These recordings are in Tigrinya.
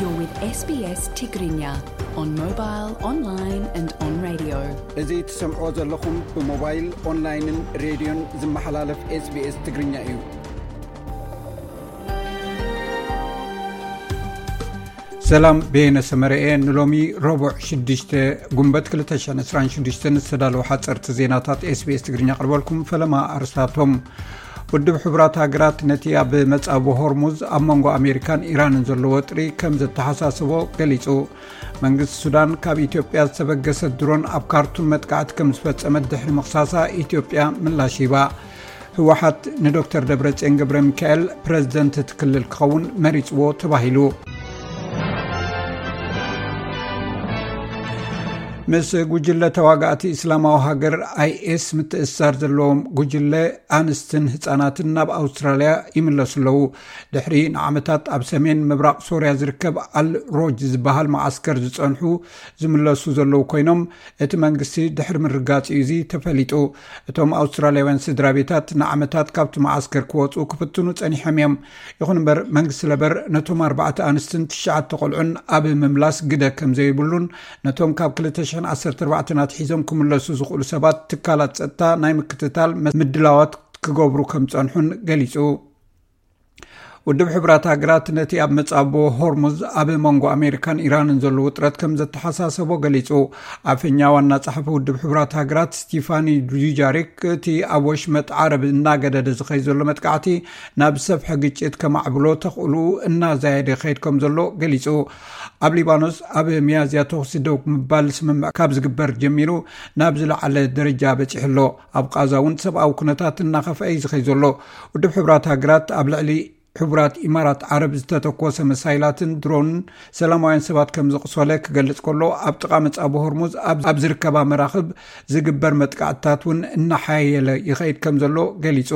You're with S B S Tigrinya on mobile, online and on radio. እዚ ትሰምዕዎ ዘለኹም ብሞባይል፣ ኦንላይንን ሬድዮን ዝመሓላለፍ SBS ትግርኛ እዩ። ሰላም፣ በየነ ሰመረ እየ። ንሎሚ ረቡዕ ሽዱሽተ ጉንበት ክልተ ሽሕን ዕስራን ሽዱሽተን ዝተዳለዉ ሓፀርቲ ዜናታት SBS ትግርኛ ኣቕርበልኩም። ፈለማ ኣርስታቶም። ውድብ ሕቡራት ሃገራት ነቲ ኣብ መጻብቦ ሆርሙዝ ኣብ መንጎ ኣሜሪካን ኢራንን ዘሎ ወጥሪ ከም ዘተሓሳስቦ ገሊጹ። መንግስቲ ሱዳን ካብ ኢትዮጵያ ዝተበገሰት ድሮን ኣብ ካርቱም መጥቃዕቲ ከም ዝፈጸመት ድሕሪ ምኽሳሳ ኢትዮጵያ ምላሽ ሂባ። ህወሓት ንዶክተር ደብረጽዮን ገብረ ሚካኤል ፕረዚደንት እቲ ክልል ክኸውን መሪጽዎ ተባሂሉ። ምስ ጉጅለ ተዋጋእቲ እስላማዊ ሃገር ኣይኤስ ምትእስሳር ዘለዎም ጉጅለ ኣንስትን ህጻናትን ናብ ኣውስትራልያ ይምለሱ ኣለዉ። ድሕሪ ንዓመታት ኣብ ሰሜን ምብራቕ ሶርያ ዝርከብ ኣል ሮጅ ዝበሃል መዓስከር ዝጸንሑ ዝምለሱ ዘለዉ ኮይኖም፣ እቲ መንግስቲ ድሕሪ ምርጋጽ እዩ እዚ ተፈሊጡ። እቶም ኣውስትራልያውያን ስድራ ቤታት ንዓመታት ካብቲ መዓስከር ክወጹ ክፍትኑ ጸኒሖም እዮም። ይኹን እምበር መንግስቲ ለበር ነቶም ኣርባዕተ ኣንስትን ትሽዓተ ቆልዑን ኣብ ምምላስ ግደ ከም ዘይብሉን ነቶም ካብ ክልተ ሽሕን ዓሰርተ ኣርባዕተን ኣትሒዞም ክምለሱ ዝኽእሉ ሰባት ትካላት ጸጥታ ናይ ምክትታል ምድላዋት ክገብሩ ከም ጸንሑን ገሊጹ። ውድብ ሕቡራት ሃገራት ነቲ ኣብ መጻብቦ ሆርሙዝ ኣብ መንጎ ኣሜሪካን ኢራንን ዘሎ ውጥረት ከም ዘተሓሳሰቦ ገሊጹ። ኣፈኛ ዋና ጸሓፊ ውድብ ሕቡራት ሃገራት ስቲፋኒ ዱጃሪክ እቲ ኣብ ወሽመጥ ዓረብ እናገደደ ዝኸይድ ዘሎ መጥቃዕቲ ናብ ሰፍሒ ግጭት ከማዕብሎ ተኽእሉ እናዛየደ ይኸይድ ከም ዘሎ ገሊጹ። ኣብ ሊባኖስ ኣብ ሚያዝያ ተኹሲ ደው ምባል ስምምዕ ካብ ዝግበር ጀሚሩ ናብ ዝለዓለ ደረጃ በጺሑ ኣሎ። ኣብ ቃዛ እውን ሰብኣዊ ኩነታት እናኸፍአ እዩ ዝኸይድ ዘሎ። ውድብ ሕቡራት ሃገራት ኣብ ልዕሊ ሕቡራት ኢማራት ዓረብ ዝተተኮሰ መሳይላትን ድሮንን ሰላማውያን ሰባት ከም ዘቕሰለ ክገልጽ ከሎ፣ ኣብ ጥቓ መጻብቦ ሆርሙዝ ኣብ ዝርከባ መራኽብ ዝግበር መጥቃዕትታት እውን እናሓየለ ይኸይድ ከም ዘሎ ገሊጹ።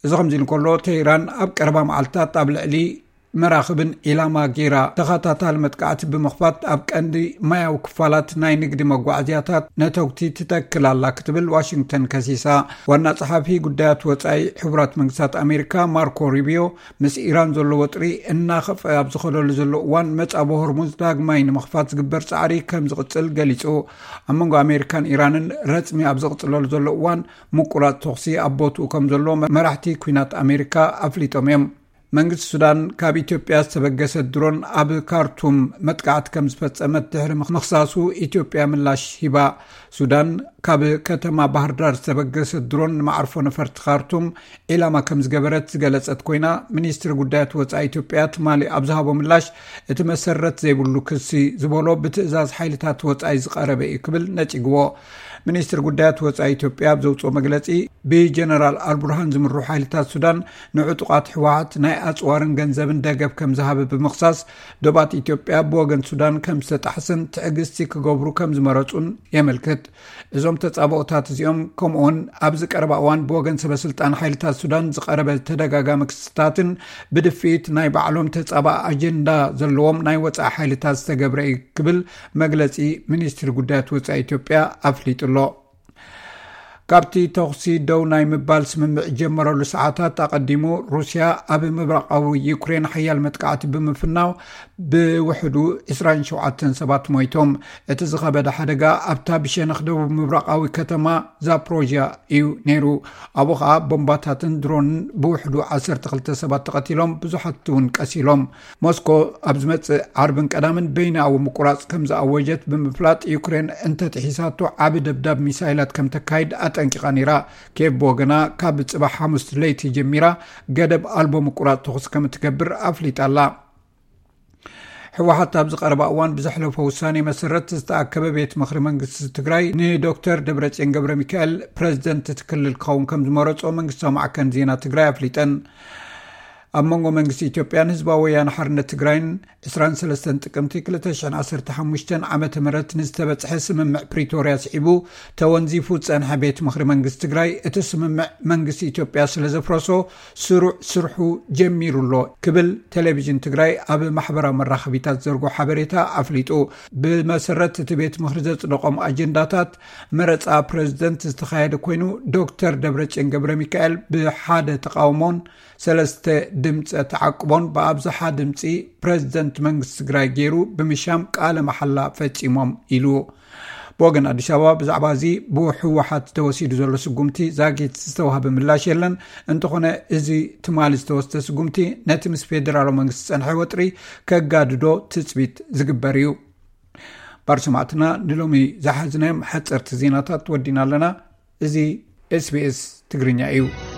እዚ ከምዚ ኢሉ ከሎ፣ ቴህራን ኣብ ቀረባ መዓልታት ኣብ ልዕሊ መራኽብን ዒላማ ገይራ ተኸታታሊ መጥቃዕቲ ብምኽፋት ኣብ ቀንዲ ማያዊ ክፋላት ናይ ንግዲ መጓዓዝያታት ነተጉቲ ትተክል ኣላ ክትብል ዋሽንግተን ከሲሳ። ዋና ጸሓፊ ጉዳያት ወጻኢ ሕቡራት መንግስታት ኣሜሪካ ማርኮ ሩቢዮ ምስ ኢራን ዘሎ ወጥሪ እናኸፍአ ኣብ ዝኸደሉ ዘሎ እዋን መጻብቦ ሆርሙዝ ዳግማይ ንምኽፋት ዝግበር ጻዕሪ ከም ዝቕጽል ገሊጹ። ኣብ መንጎ ኣሜሪካን ኢራንን ረጽሚ ኣብ ዝቕጽለሉ ዘሎ እዋን ምቁራጽ ተኹሲ ኣብ ቦትኡ ከም ዘሎ መራሕቲ ኲናት ኣሜሪካ ኣፍሊጦም እዮም። መንግስቲ ሱዳን ካብ ኢትዮጵያ ዝተበገሰት ድሮን ኣብ ካርቱም መጥቃዕቲ ከም ዝፈጸመት ድሕሪ ምኽሳሱ ኢትዮጵያ ምላሽ ሂባ። ሱዳን ካብ ከተማ ባህርዳር ዝተበገሰት ድሮን ንመዓርፎ ነፈርቲ ካርቱም ዒላማ ከም ዝገበረት ዝገለጸት ኮይና፣ ሚኒስትሪ ጉዳያት ወጻኢ ኢትዮጵያ ትማሊ ኣብ ዝሃቦ ምላሽ እቲ መሰረት ዘይብሉ ክሲ ዝበሎ ብትእዛዝ ሓይልታት ወጻኢ ዝቐረበ እዩ ክብል ነጺግዎ። ሚኒስትሪ ጉዳያት ወጻኢ ኢትዮጵያ ኣብ ዘውጽኦ መግለጺ፣ ብጀነራል ኣልቡርሃን ዝምርሑ ሓይልታት ሱዳን ንዕጡቓት ህወሓት ናይ ኣጽዋርን ገንዘብን ደገፍ ከም ዝሃበ ብምኽሳስ፣ ዶባት ኢትዮጵያ ብወገን ሱዳን ከም ዝተጣሕሰን ትዕግስቲ ክገብሩ ከም ዝመረጹን የመልክት። እዞም ተጻብኦታት እዚኦም፣ ከምኡውን ኣብዚ ቀረባ እዋን ብወገን ሰበ ስልጣን ሓይልታት ሱዳን ዝቐረበ ተደጋጋሚ ክስታትን ብድፍኢት ናይ ባዕሎም ተጻባእ ኣጀንዳ ዘለዎም ናይ ወጻኢ ሓይልታት ዝተገብረ እዩ ክብል መግለጺ ሚኒስትሪ ጉዳያት ወጻኢ ኢትዮጵያ ኣፍሊጡ ኣሎ። ካብቲ ተኹሲ ደው ናይ ምባል ስምምዕ ጀመረሉ ሰዓታት ኣቐዲሙ፣ ሩስያ ኣብ ምብራቓዊ ዩክሬን ሓያል መጥቃዕቲ ብምፍናው ብውሕዱ ዕስራን ሸውዓተን ሰባት ሞይቶም። እቲ ዝኸበደ ሓደጋ ኣብታ ብሸነኽ ደቡብ ምብራቓዊ ከተማ ዛፕሮዥያ እዩ ነይሩ። ኣብኡ ኸኣ ቦምባታትን ድሮንን ብውሕዱ ዓሰርተ ክልተ ሰባት ተቐቲሎም፣ ብዙሓት እውን ቀሲሎም። ሞስኮ ኣብ ዝመጽእ ዓርብን ቀዳምን በይናዊ ምቁራጽ ከም ዝኣወጀት ብምፍላጥ፣ ዩክሬን እንተጥሒሳቶ ዓቢ ደብዳብ ሚሳይላት ከም ተካይድ ኣጠንቂቓ ነይራ። ኬቭ ብወገና፣ ካብ ጽባሕ ሓሙስ ለይቲ ጀሚራ ገደብ ኣልቦ ምቁራጽ ተኹሲ ከም እትገብር ኣፍሊጣ ኣላ። ህወሓት ኣብዚ ቀረባ እዋን ብዘሕለፎ ውሳኔ መሰረት ዝተኣከበ ቤት ምኽሪ መንግስቲ ትግራይ ንዶክተር ደብረጽዮን ገብረ ሚካኤል ፕረዚደንት እቲ ክልል ክኸውን ከም ዝመረጾ መንግስታዊ ማዕከን ዜና ትግራይ ኣፍሊጠን። ኣብ መንጎ መንግስቲ ኢትዮጵያን ህዝባዊ ወያነ ሓርነት ትግራይን ዕስራን ሰለስተን ጥቅምቲ ክልተ ሽሕን ዓሰርተ ሓሙሽተን ዓመተ ምህረት ንዝተበጽሐ ስምምዕ ፕሪቶርያ ስዒቡ ተወንዚፉ ዝጸንሐ ቤት ምኽሪ መንግስቲ ትግራይ፣ እቲ ስምምዕ መንግስቲ ኢትዮጵያ ስለ ዘፍረሶ ስሩዕ ስርሑ ጀሚሩ ኣሎ ክብል ቴሌቪዥን ትግራይ ኣብ ማሕበራዊ መራኸቢታት ዘርጎ ሓበሬታ ኣፍሊጡ። ብመሰረት እቲ ቤት ምኽሪ ዘጽደቖም ኣጀንዳታት፣ መረጻ ፕረዚደንት ዝተኻየደ ኮይኑ፣ ዶክተር ደብረጽዮን ገብረ ሚካኤል ብሓደ ተቓውሞን ሰለስተ ድምፀ ተዓቅቦን ብኣብዝሓ ድምፂ ፕሬዝደንት መንግስቲ ትግራይ ገይሩ ብምሻም ቃለ መሓላ ፈፂሞም ኢሉ። ብወገን ኣዲስ ኣበባ ብዛዕባ እዚ ብህወሓት ተወሲዱ ዘሎ ስጉምቲ ዛጊት ዝተዋህበ ምላሽ የለን። እንተኾነ እዚ ትማሊ ዝተወስደ ስጉምቲ ነቲ ምስ ፌደራላዊ መንግስቲ ዝፀንሐ ወጥሪ ከጋድዶ ትፅቢት ዝግበር እዩ። ባር ሰማዕትና ንሎሚ ዝሓዝናዮም ሓፀርቲ ዜናታት ወዲና ኣለና። እዚ ኤስቢኤስ ትግርኛ እዩ።